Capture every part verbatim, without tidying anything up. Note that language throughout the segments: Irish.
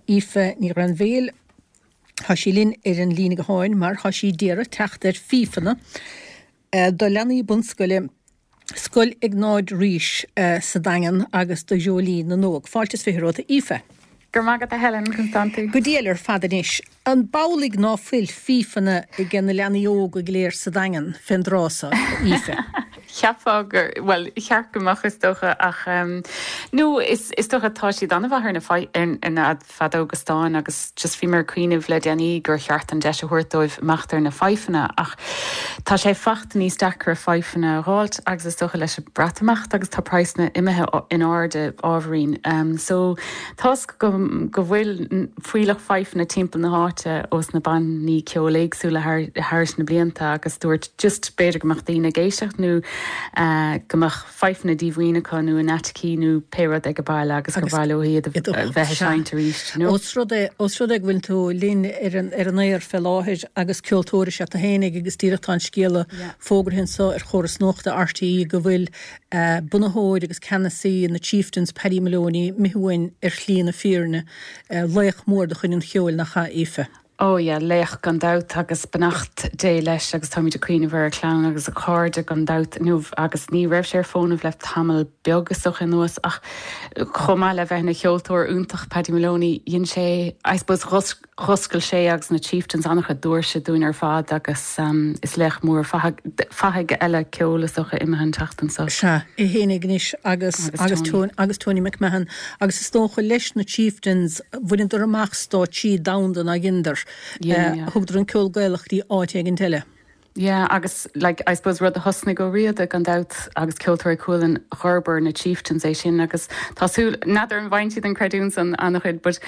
Aoife Ní Ghrainbhéil Tá sí linn ar an líne gutháin mar tá sí d'iarraidh teacht ar fífeanna do leanaí bunscoile Scoil Iognáid Rís sa Daingean agus do Dhreoilín na nÓg. Fáilte is fiche romhat, Aoife. Go raibh maith agat a Helen, conas tánn tú? Go diail ar fad anois. An b'amhlaidh ná fuil fífeanna ag na leanaí óga go léir sa Daingean fén dtráth so, Aoife? Cheapfá gur, bhuel, cheart go mbeadh is dócha ach nó is is dócha tá siad an-mhaith ar na ar na feadóga stáin agus just bhí mé ag cuimhneamh le déanaí gur cheart an deis a thabhairt dóibh imeacht ar na fidhfeanna ach tá sé fachta níos deacra fidhfeanna a dh'fháilt agus is dócha leis an Breatimeacht agus tá praghsanna imithe in airde ábhairín. Um, so toisc go, go bhfuil fuílleach fidhfeanna timpeall na háite ós na bannaí ceoil éagsúla thar, thar na blianta agus dúirt just b'fhéidir go mbeadh daoine ag éisteacht nó uh, go mbeadh fidhfeanna díomhaoin acu nó in aiticí nó pé rud ag baile agus gur mhaith leo iad a bheith ag seinnt arís. No? Ós rud é ós rud é go bhfuil tú linn ar an ar an aer fé láthair agus ceoltóir is ea tú fhéinig agus díreach tá an scéala Yeah. fógartha anseo ar chóras nuachta RTÉ go bhfuil uh, bunaitheoir agus ceannasaí na Chieftains Paddy Moloney imithe uainn ar shlí na fírinne uh, laoch mór de chuid an cheoil nach ea Aoife. Ó yeah, laoch gan dabht agus beannacht Dé leis agus táimid ag cuimhneamh ar a chlann agus a chairde gan dabht nó agus ní raibh sé ar fónamh le tamall beag is dócha anuas ach chomh maith le bheith ina cheoltóir iontach Paddy Moloney dhein sé I suppose dh'oscail sé agus na Chieftains an-chuid doirse dúinn ar fad agus um, is laoch mór fathaigh eile ceoil is dócha imithe an tseachtain seo. Sea, é fhéinig anois agus Agus agus Tony. Tony agus Tony McMahon agus is dócha leis na Chieftains bhaineadar amach stáitsí domhanda na ghinder. Yeah, yeah. Thugadar an ceol Gaelach dtí áit éigin eile. Yeah, agus like, I suppose rud a thosnaigh Ó Riada gan dabht agus Ceoltóirí Chualann d'fhorbair na Chieftains é sin agus tású nadidir an bhain siad an creidiúint an an-chuid, but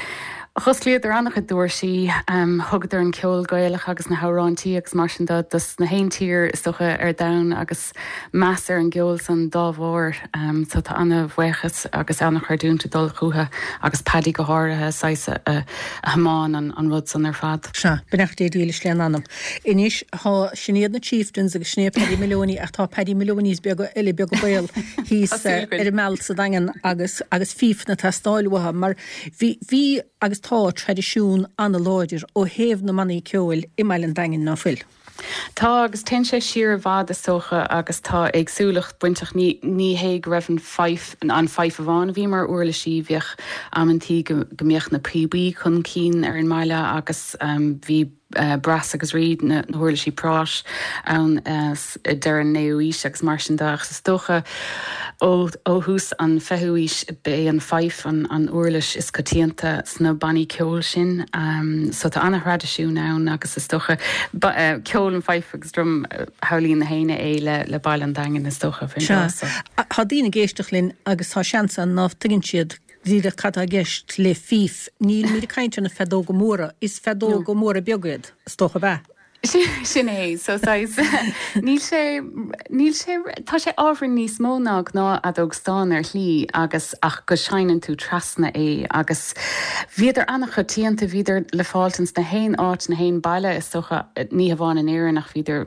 Dh'osclaíodar an-chuid doirsí um, thugadar an ceol Gaelach agus na hamhráintí agus mar sin de dos na haon tír is dócha ar domhan agus meas ar an gceol san dá bharr um, so tá an-bhuíochas agus an-chreidiúint ag dul chucu agus Paddy go háirithe saghas a, a, a thiomáin an, an rud san ar fad. Sea, beannacht Dé dílis lena anam. Anois tá sin iad na Chieftains agus sin é Paddy Moloney ach tá Paddy Maloney's beaga eile beaga béal thíos Tá súil againn. ar an mbealach sa Daingean agus agus fífeanna ag teastáil uathu mar bhí bhí agus tá traidisiún an-láidir ó thaobh na mbannaí ceoil i mBaile an Daingin ná fuil. Tá agus téann sé siar i bhfad is dócha agus tá éagsúlacht bainteach ní, ní hé go raibh an fife an fife amháin a bhí mar uirlisí bhíodh amantaí go, go mbeadh na píobaí chun cinn ar an mbaile agus um, bhí uh, brass agus reed na, na huirlisí práis ann uh, deireadh an naoú haois agus mar sin de agus is dócha ó, ó thús an fichiú haois b'é an fife an, an uirlis is coitianta sna bannaí ceoil sin um, so tá an-thraidisiún ann agus is dócha ba, uh, ceol an fife agus drum uh, shamhlaíonn na héinne é le, le Baile an Daingin is dócha faoin Sea, dtráth so. Tá daoine ag éisteacht linn agus tá seans ann ná tuigeann siad díreach cad atá i gceist le fife. Níl míad caint na feadóga móra, is feadóga móra beaga iad, is dócha bheith. Sin é so saghas níl sé níl sé tá sé ábhar níos mó ná gnáthfheadóg stáin ar shlí agus ach go seinneann tú trasna é agus bhíodar an-choitianta bhíodar le fáil ins na haon áit na haon baile is dócha ní hamháin in Éirinn ach bhíodar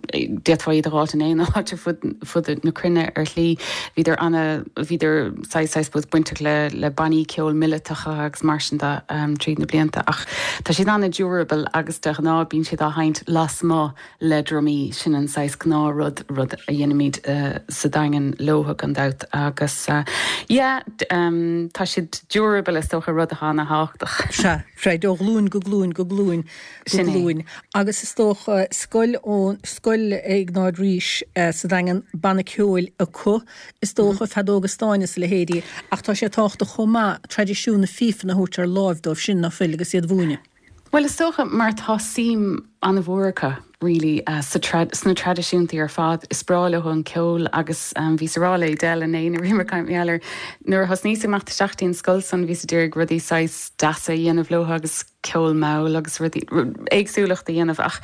d'fhéadfá iad a fháil in aon áit ar fud fud na cruinne ar shlí bhíodar an- bhíodar saghas bainteach le le bannaí ceoil míleatacha agus mar sin de um, tríd na blianta ach tá siad an-durable agus de ghnáth bíonn siad á sheinnt lasmuigh le drumaí sin an saghas gnáthrud rud a dhéanaimid uh, sa Daingean leo gan dabht agus uh, yeah, um, tá siad durable is dócha rud atá an-tábhachtach. Sea, freisin ó ghlúin go glúin go glúin go Sin é. glúin. Agus is dócha scoil ó scoil Iognáid Rís uh, sa Daingean banna ceoil acu is dócha feadóga stáin is a leithéidí ach tá sé tábhachtach chomh maith traidisiún na fífeanna a thabhairt ar láimh dóibh sin ná fuil agus iad a mhúineadh. Well is dócha mar tá suim an-mhór acu really uh, sa trad sna traidisiúntaí ar fad is breá leo an ceol agus um, bhí rá le Del an é rí mealler nuair a thosnaíos amach isteach an scoil san bhí d'iarraidh rudaí saghas deasa a dhéanamh leo agus ceol mall agus rudaí éagsúlacht a dhéanamh ach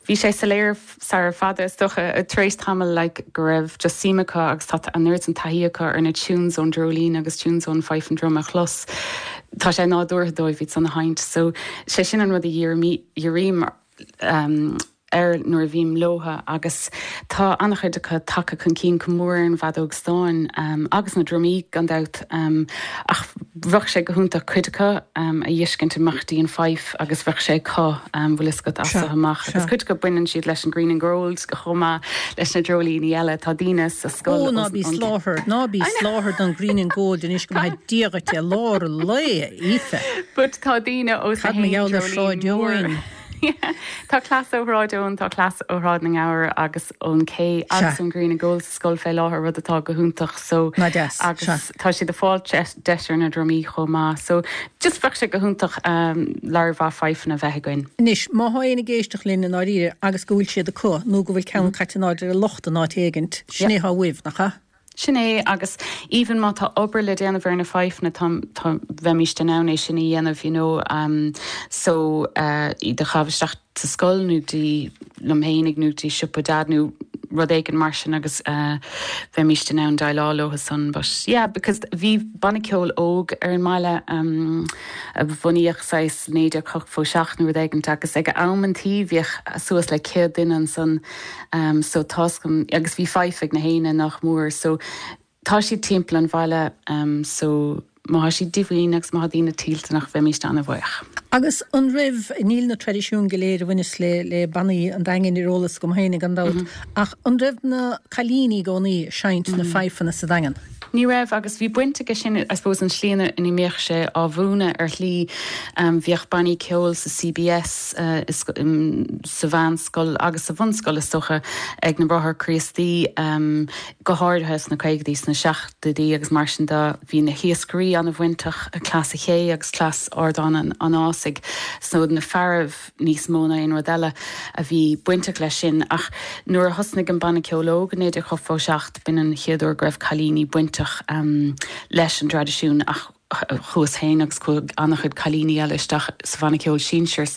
bhí sé soiléir sar fada is dócha tar éis tamall like, go raibh just suim acu agus tá an oiread an taithí acu ar na tunes ón dreoilín agus tunes ón fife and drum a chlos. Tá sé nádúrtha dóibh iad san a sheinnt, so sé sin an rud a dhírím um, air nuair a bhím leotha agus tá an-chuid acu tagtha chun cinn go mór ar an bhfeadóg stáin um, agus na drumaí gan dabht um, ach bheadh sé go hiontach cuid acu um, a fheiscint amach dtí an fife agus bheadh sé acu um, bhfuil a fhios agat as amach agus cuid acu baineann siad leis an Green and Gold chomh maith leis na dreoilíní eile tá daoine sa scoil Ó ná bí sláthair ná bí sláthair don Green and Gold anois go maith díote lár le Aoife. But tá daoine ó Cad mar gheall ar Shráid Eoin. Tá cleas ó Shráid Eoin tá cleas ó Shráid na nGabhar agus ón Cé agus an Green and Gold sa scoil fé láthair rud atá go hiontach so agus tá siad ag fáil deis ar na drumaí chomh maith so just bheadh sé go hiontach um, lear mhaith fifeanna bheith againn. Anois má tá éinne ag éisteacht linn i ndáiríre agus go bhfuil siad acu nó go bhfuil ceann caite in airde ar lucht an áit éigint, sin é atá uaibh nach ea? Sin é agus even má tá obair le déanamh ar na fifeanna tá bheimist in ann é sin a dhéanamh you know, um, so uh, iad a chaitheamh isteach sa scoil nó dtí liom féinig nó dtí siopa dad nó rud éigin mar sin agus uh, bheimist in ann déileáil leo san but yeah because bhí banna ceoil óg ar an mbaile um, a bunaíodh saghas naoi déag ochtó seacht nó rud éigin agus ag am an tí bhíodh suas le céad duine ansan um, so tá agus bhí fife ag na héinne nach mór so tá siad timpeall an bhaile um, so má tá siad díomhaoin agus má daoine toilteanach bheimist an-bhuíoch. Agus an raibh níl na traidisiúin go léir a bhaineas le le bannaí an Daingin ar eolas agam féin gan dabht mm -hmm. ach an raibh na cailíní i gcónaí ag seinnt mm -hmm. na fifeanna sa Daingean. Ní raibh agus bhí baint aige sin I suppose an slí ina mbíodh sé á mhúineadh ar shlí um, bhíodh bannaí ceoil sa CBS uh, is, um, sa mheánscoil agus sa bhunscoil is dócha ag na Bráithre Críostaí um, go háirithe sna caogaidí sna seachtóidí agus mar sin de bhí na hiascairí an-bhainteach Cleas an Ché agus Cleas Ardán an, an Ásaigh so na fearaibh níos mó ná aon rud eile a bhí bainteach leis sin ach nuair a thosnaigh an banna ceoil óg naoi déag ochtó seacht b'in an chéad uair go raibh cailíní bainteach um, leis an traidisiún ach chuas féin agus chuaigh an-chuid cailíní eile isteach sa bhanna ceoil sinsir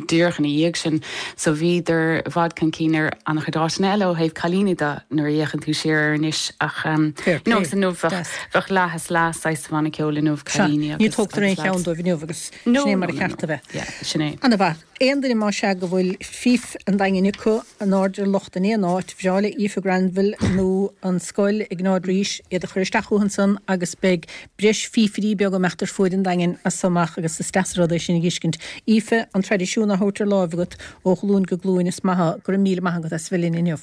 díreach ina dhiaidh sin so bhíodar i bhfad chun cinn ar an-chuid áiteanna eile ó thaobh cailíní de nuair a fhéachann tú siar ar anois ach um, no, inniu bheadh leath is leath sa bhanna ceoil inniu cailíní Ní tógtar aon cheann dóibh inniu agus sin é mar a cheart a bheith. Sin é. An-mhaith. Aon duine más ea go bhfuil fife an Daingin acu in airde ar lucht in aon áit, bhreá le Aoife Granville nó an scoil ag Sráid Rís iad a chur isteach chucu ansan agus beidh breis fífirí beaga amach ar fuaid an Daingin as so amach agus is deas an rud é sin a fheiscint. Aoife, an traidisiún á thabhairt ar láimh agat ó ghlúin go glúin is maith go raibh míle maith agat as bheith linn inniu.